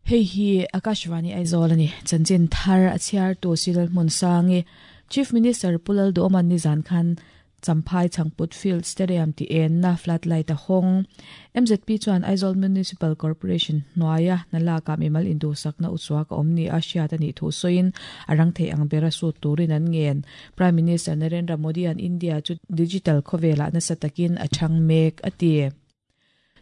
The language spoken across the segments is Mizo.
Hei hi Akashvani Aizawl a ni. Chanchin thar a chhiartu Cyril Hmunsangi, Chief Minister Pu Lalduhawman nizan khan Champhai Chhangput Field Stadium tih enna floodlight a hawng. MZP chuan Aizawl Municipal Corporation hnuaia hna lakah mimal induhsakna uchuak a awm ni a hriat a nih thu sawiin a rang theih ang bera sut turin an ngen. Prime Minister Narendra Modi-a'n India chu digital khawvelah nasa takin a chhang mek a ti.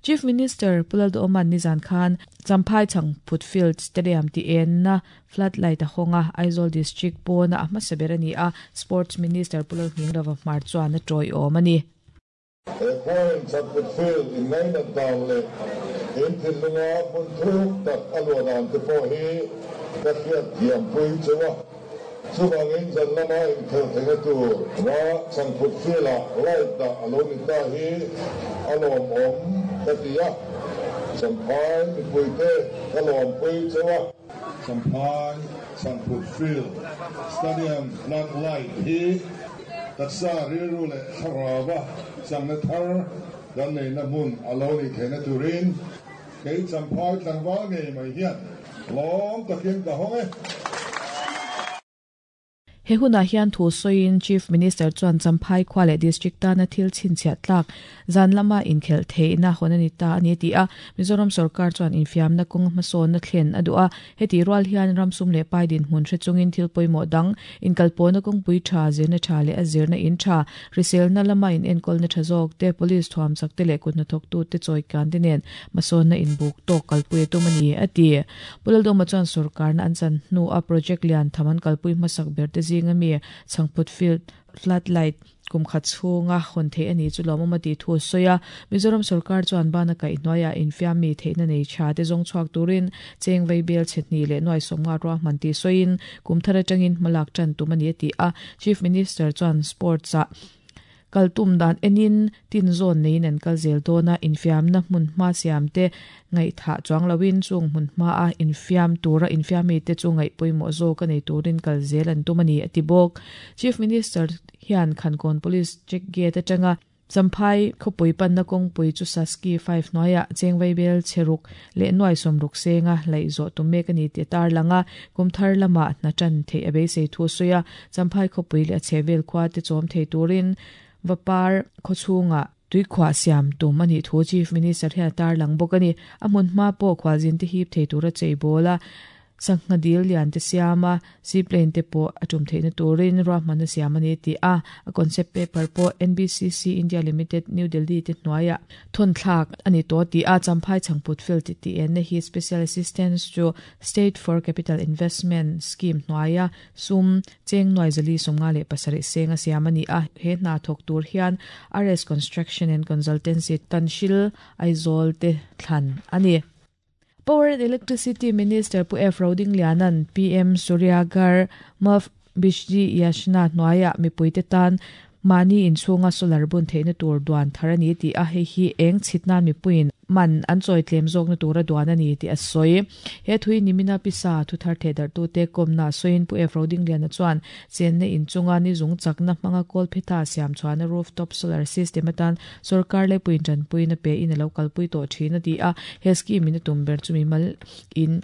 Chief Minister Pu Lalduhawman nizan khan Champhai Chhangphut Field Stadium tih enna floodlight a hawng a, Aizawl District pawna a hmasa ber a ni a, Sports Minister Pu Lalhmingrava Hmar chuan a tawiawm a ni. He khuain Chhangphut Field inngainat dan leh in thinlunga hmun thuk tak a luah dan te pawh hi ka hriat thiampui cheu a. Chuvangin zan lama inkhelh theihna tur va Chhangphut Field-ah light dah a lo ni ta hi a lawmawm ka ti a, Champhai mipuite ka lawmpui cheu a. Champhai Chhangphut Field Stadium flood light hi taksa rilru leh thlarauva changna thar kan neihna hmun a lo nih theihna turin kei Champhai tlangval ngei mai hian Lawm takin ka hawng e. He hunah hian thu sawiin Chief Minister chuan Champhai khua leh District tana thil chhinchhiah tlak zan lama inkhelh theihna hawn a ni ta a ni a ti a. Mizoram sorkar chuan infiamna kawng hmasawnna thlen a duh a, heti rual hian ram sum leh pai dinhmun hre chungin thil pawimawh dang, inkalpawhna kawngpui tha, zirna tha leh a zirna in tha, hriselna lama inenkawlna tha zawk te, police thuamchak te leh kuthnathawktute chawikan te nen Hmasawnna inbuk tawk kalpui a tum a ni, a ti. Pu Laldawma chuan sorkarna an chan hnua project lian tham an kalpui hmasak ber te zinga mi Chhangphut Field Floodlight kum khat chhunga hawn theih a ni chu lawmawm a tih thu a sawi a. Mizoram sorkar chuan bana kaih hnuaiah infiam mi theihna nei tha te zawng chhuak turin cheng vei bel chhe hnih leh nuai sawmnga ruahman tih sawiin kum thar atangin hmalak tan tum a ni a ti a. Chief Minister chuan sports-ah Kal tum dan enin tin zawn neiin an kal zel dawn a, infiamna hmun hma siam te ngaihthah chuang loin chung hmun hmaa infiam tura infiamite chu ngaih pawimawh zawk a nei turin kal zel an tum a ni, a ti bawk. Chief Minister hian Khankawn Police Check Gate atanga Champhai khawpui panna kawngpui chu Saski 5 hnuaiah Chengvaibel chhe ruk leh nuai sawmruk senga laih zawh tum mek a ni tih a tarlang a, kum thar lamah hna tan theih a beisei thu a sawi a. Champhai khawpui leh a chhehvel khua te chawm thei turin Vapar khawchhungah tuikhuah siam tum a nih thu Chief Minister hian a tarlang bawk a ni. A hmun hma pawh khualzin te hip thei tura cheibawl a, sangha dil lian te siam a, seaplane te pawh a tum theihna turin ruahmanna siam a ni tih a, a concept paper pawh NBCC India Limited, New Delhi te hnuaiah thawnthlak a ni tawh tih a, Champhai Chhangput Field tih enna hi Special Assistance to State for Capital Investment Scheme hnuaia Sum, cheng nuai zali 57 seng a siam a ni a, he hna thawk tur hian RS Construction and Consultancy Tanhril, Aizawl te thlan a ni. Power and Electricity Minister Pu F Rodingliana'n PM Surya Ghar Muft Bijli Yojana hnuaiah mipuite tan mahni inchhunga solar bun theihna tur duan thar a ni tih a, hei hi eng chhit nan mipuiin man an chawi tlem zawkna tura duan a ni tih a sawi. He thui nimina pisa thu thar thehdarhtute kawmna sawiin Pu F Rodingliana chuan chenna inchunga ni zung chakna hmanga kawlphetha siam chhuahna rooftop solar system atan sorkar laipuiin tanpuina pe in a lo kalpui tawh thin a ti a, he scheme in a tum ber chu mimal in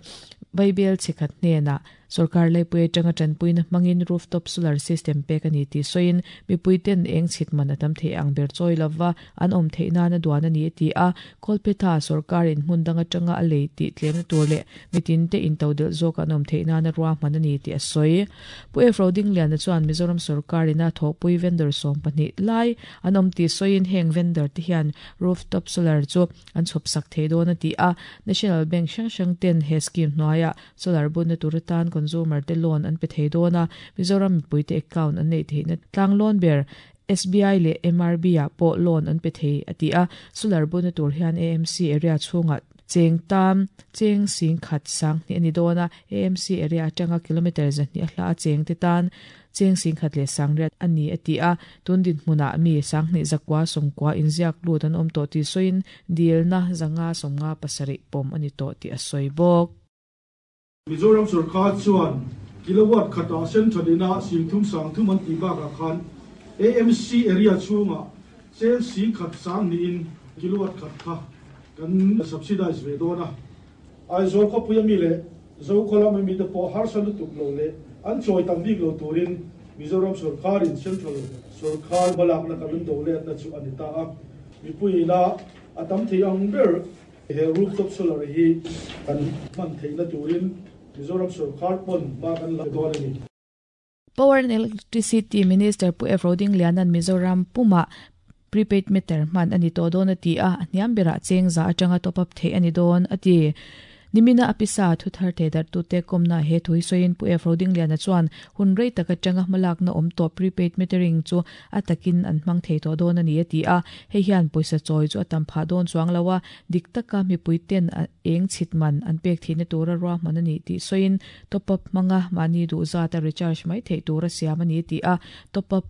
Vaibel chhekhat hnenah Sorkar laipui atanga tanpuina hmangin rooftop solar system pek a ni tih sawiin, mipuiten eng chhit man a tam theih ang ber chawi lova an awm theih nana duan a ni a ti a. Kawlphetha sorkarin hmun dang atanga a lei tih tlemna tur leh mitinte intodelh zawk an awm theih nana ruahman a ni tih a sawi. Pu F Rodingliana chuan Mizoram sorkarin a thawhpui vendor 12 lai an awm tih sawiin heng vendor te hian rooftop solar chu an chhawpsak thei dawn a ti a. National Bank hrang hrang ten he scheme hnuaiah Solar bunna tur atan consumer te loan an pe thei dawn a, Mizoram mipuite account an neih theihna tlang loan ber SBI leh MRB ah pawh loan an pe thei a ti a, solar bunna tur hian AMC area chhungah cheng tam cheng sing khat 2000 a ni dawn a, AMC area atanga kilometre 200 a hla a cheng te tan cheng 10,180 a ni a ti a, tun dinhmunah mi 2990 inziak lut an awm tawh tih sawiin dilna 557 pawm a ni tawh tih a sawi bawk. Mizoram sorkar chuan kilowatt khatah central ina 30 30 an tih bakah khan AMC area chhungah cheng 10 20in kilowatt khat kha kan subsidize ve dawn a. Aizawl khawpui ami leh Zokhaw lam ami te pawh harsa lutuk lo leh an chawi tam bik lo turin Mizoram sawrkarin Central sawrkar hmalakna kan rawn do letna chu a ni ta a. Mipuiin a tam thei ang ber he rooftop solar hi kan hman theihna turin Mizoram sawrkar pawn hma kan la dawn a ni. Power and Electricity Minister Pu F. Rodingliana'n Mizoram pumah prepaid meter hman a ni tawh dawn a ti a, a hniam berah cheng za atanga top up theih a ni dawn a ti. Nimina a pisa thuthar thei darhtute kawmna he thu hi sawiin Pu F. Rodingliana chuan hun rei tak atanga hmalakna awm tawh prepaid metering chu a takin an hmang thei tawh dawn a ni a ti a, hei hian pawisa chawi chu a tam phah dawn chuang lo a, dik taka mipui ten a eng chhit man an pek theihna tura ruahman a nih tih sawiin top up hmanga mahni duh zata recharge mai theih tura siam a ni tih a, top up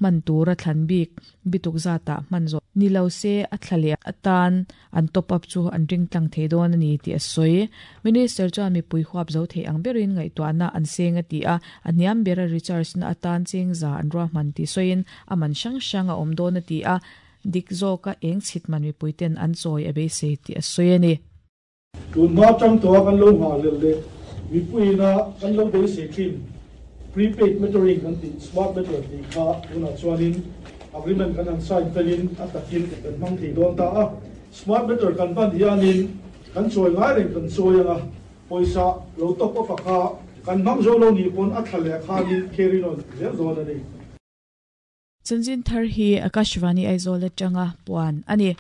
hman tura thlan bik bituk zatah hman zawh ni lo se a thla leh atan an top up chu an ring tlang thei dawn a ni tih a sawi. Minister chuan mipui huap zo thei ang berin ngaihtuahna an seng a ti a, a hniam bera recharge na atan cheng za an ruahman tih sawiin a man hrang hrang a awm dawn a ti a, dik zawka eng chhit man mipui ten an chawi a beisei tih a sawi a ni. Tunhma tang tawha kan lo nghah leh leh mipuiina kan lo beisei thin prepaid metering kan tih smart meter tih kha tunah chuanin agreement kan han sign felin a takin kan hmang thei dawn ta a. Smart meter kan hman hianin kan chawi ngai reng kan chawi anga pawisa lo top up a kha kan hmang zo lo nih pawn a thla leh khanin carry on zel dawn a ni. Chanchin thar hi Akashvani Aizawl atanga puan a ni.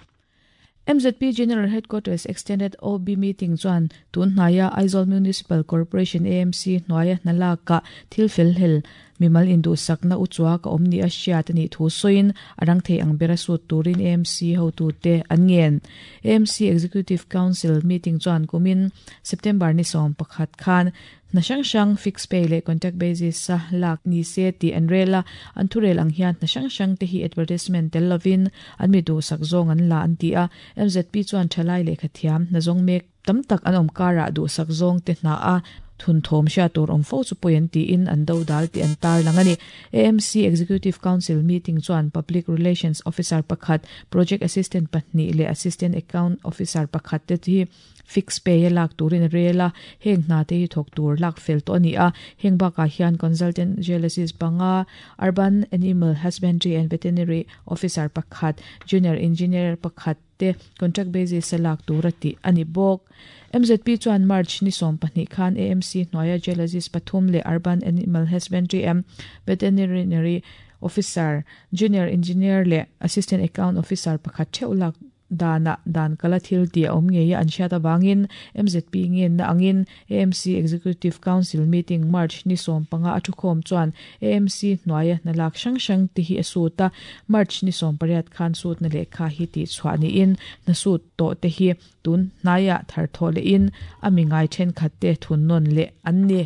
MZP General Headquarters Extended OB Meeting chuan tun hnaia Aizawl Municipal Corporation, AMC, hnuaia hna lakah thil fel hlel mimal induhsakna uchuak a awm ni a hriat a nih thu sawiin a rang thei ang bera sut turin AMC hotute an ngen. AMC Executive Council Meeting chuan kumin September ni 11 khan Hna hrang hrang fixed pay leh contract basis a lak ni se tih an rel a, an thurel ang hian hna hrang hrang te hi advertisement tel lovin an mi duhsak zawng an la an ti a. MZP chuan thalai lehkha thiam hna zawng mek tam tak an awm karah duhsak zawng te hna a thunthawm hriat tur awm fo chu pawi an tiin an do dal tih an tarlang a ni. AMC Executive Council meeting chuan Public Relations Officer pakhat, Project Assistant pahnih leh Assistant Account Officer pakhat te hi Fix pay a lak turin a rel a, heng hna te hi thawk tur lak fel tawh a ni a. Heng bakah hian Consultant Geologist panga, Urban Animal Husbandry and Veterinary Officer pakhat, Junior Engineer pakhat te contract basis a lak tur a tih a ni bawk. MZP chuan March ni 12 khan AMC hnuaia Geologist pathum leh Urban Animal Husbandry and Veterinary Officer, Junior Engineer leh Assistant Account Officer pakhat theuh lak Danah dan kala thil tih a awm ngei a an hriat avangin MZP ngenna angin AMC Executive Council meeting March ni 15 a thukhawm chuan AMC hnuaia hna lak hrang hrang te hi a sut a, March ni 18 khan sutna lehkha hi tihchhuah niin hna sut tawh te hi tun hnaiah thar thawh lehin a mi ngai thenkhat te thun nawn leh an ni.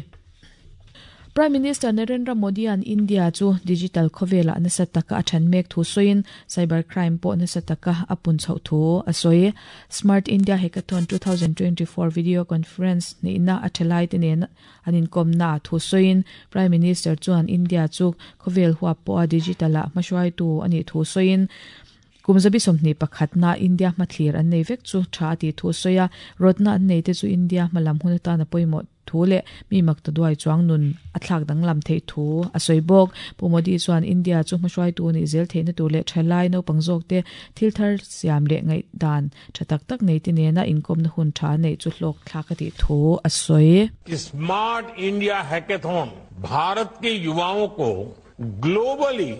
Prime Minister Narendra Modi-a'n India chu digital khawvelah nasa taka a then mek thu sawiin cyber crime pawh nasa taka a pun chhoh thu a sawi. Smart India Hackathon 2024 video conference neihna a thalaite nen an inkawmna ah thu sawiin Prime Minister chuan India chu khawvel huap pawha digital-ah hmahruaitu a nih thu sawiin Kum 21 na India hmathlir an nei vek chu tha a tih thu a sawi a, rawtna an neite chu India hmalam hun atan a pawimawh thu leh mi makta duai chuang nun a thlak danglam theih thu a sawi bawk. Pu Modi chuan India chu hmahruaitu nih zel theihna tur leh thalai naupang zawkte thil thar siam leh ngaihdan tha tak tak neite nena inkawmna hun tha neih chu hlawk thlak a tih thu a sawi. Smart India Hackathon Bharat ke yuvaon ko globally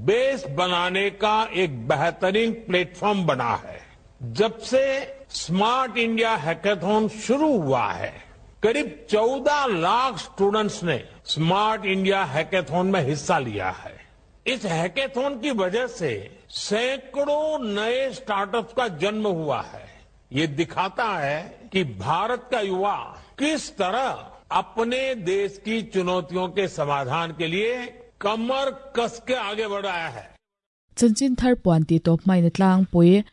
base बनाने का एक बेहतरीन platform बना है। जब से smart India hackathon शुरू हुआ है, करीब 14 लाख स्टूडेंट्स ने smart India hackathon में हिस्सा लिया है। इस हैकेथॉन की वजह से सैकड़ों नए स्टार्टअप्स का जन्म हुआ है। ये दिखाता है कि भारत का युवा किस तरह अपने देश की चुनौतियों के समाधान के लिए कमर कस के आगे बढ़ रहा है। Chanchin thar puan tih tawp hmain a tlangpui.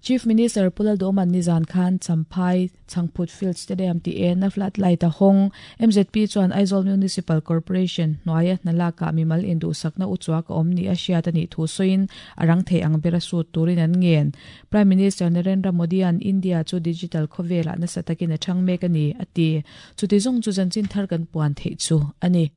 Chief Minister Pu Lalduhawma'n nizan khan Champhai Chhangphut Field Stadium tih ena flood light a hawng. Mzp chuan Aizawl Municipal Corporation hnuaia hna lakah mimal induhsakna uchuak a awm ni a hriat a nih thu sawiin a rang thei ang bera sut turin an ngen. Prime Minister Narendra Modi-a'n India chu digital khawvelah nasa takin a chhang mek a ni, a ti. Chuti zawng chu zanchin thar kan puan theih chu a ni.